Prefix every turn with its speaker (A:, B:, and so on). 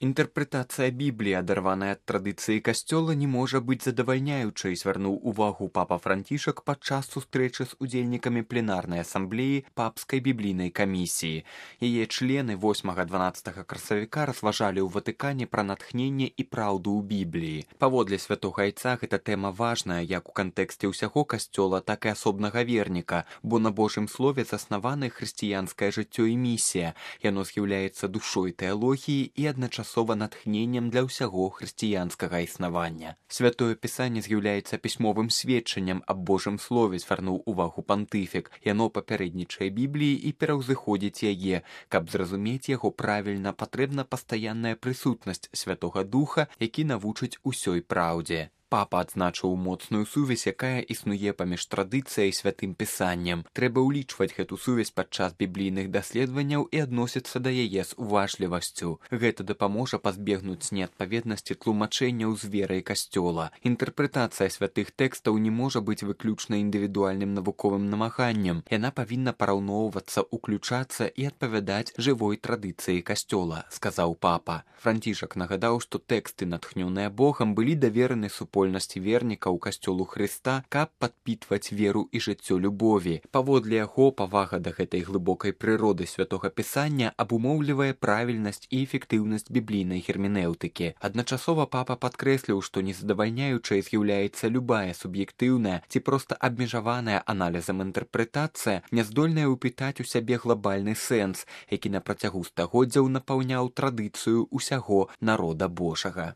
A: Інтэрпрэтацыя Бібліі, адарваная ад традыцыі касцёла, не можа быць задавальняючай, звярнуў увагу папа Францішак падчас сустрэчы з удзельнікамі пленарнай асамблеі папскай біблійнай камісіі. Яе члены 8-12 красавіка разважалі ў Ватыкане пра натхненне і праўду ў Бібліі. Паводле святога айца гэта тэма важная як у кантэксце ўсяго касцёла, так і асобнага верніка, бо на Божым слове заснаваны хрысціянскае жыццё і місія. Яно з'яўляецца душой тэалогіі і адначасова натхненнем для ўсяго хрысціянскага існавання. Святое Пісанне з'яўляецца пісьмовым сведчаннем аб Божым слове, звярнуў увагу пантыфік. Яно папярэднічае Бібліі і пераўзыходзіць яе. Каб зразумець яго правільна, патрэбна пастаянная прысутнасць Святога Духа, які навучыць усёй праўдзе. Папа адзначыў моцную сувязь, якая існуе паміж традыцыяй і святым пісаннем. Трэба ўлічваць гэту сувязь падчас біблійных даследаванняў і адносіцца да яе з уважлівасцю. Гэта дапаможа пазбегнуць неадпаведнасці тлумачэнняў з верай касцёла. Інтэрпрэтацыя святых тэкстаў не можа быць выключна індывідуальным навуковым намаганнем. Яна павінна параўноўвацца, уключацца і адпавядаць жывой традыцыі касцёла, сказаў папа. Францішак нагадаў, што тэксты, натхнёныя Богам, былі давераны супольнасці вернікаў касцёлу Хрыста, каб падпітваць веру і жыццё любові. Паводле яго, павага да гэтай глыбокай прыроды святога Пісання абумоўлівае правільнасць і эфектыўнасць біблійнай герменэўтыкі. Адначасова папа падкрэсліў, што незадавальняючай з'яўляецца любая суб'ектыўная ці проста абмежаваная аналізам інтэрпрэтацыя, няздольная ўпітаць у сябе глобальны сэнс, які на працягу стагоддзяў напаўняў традыцыю ўсяго народа Божага.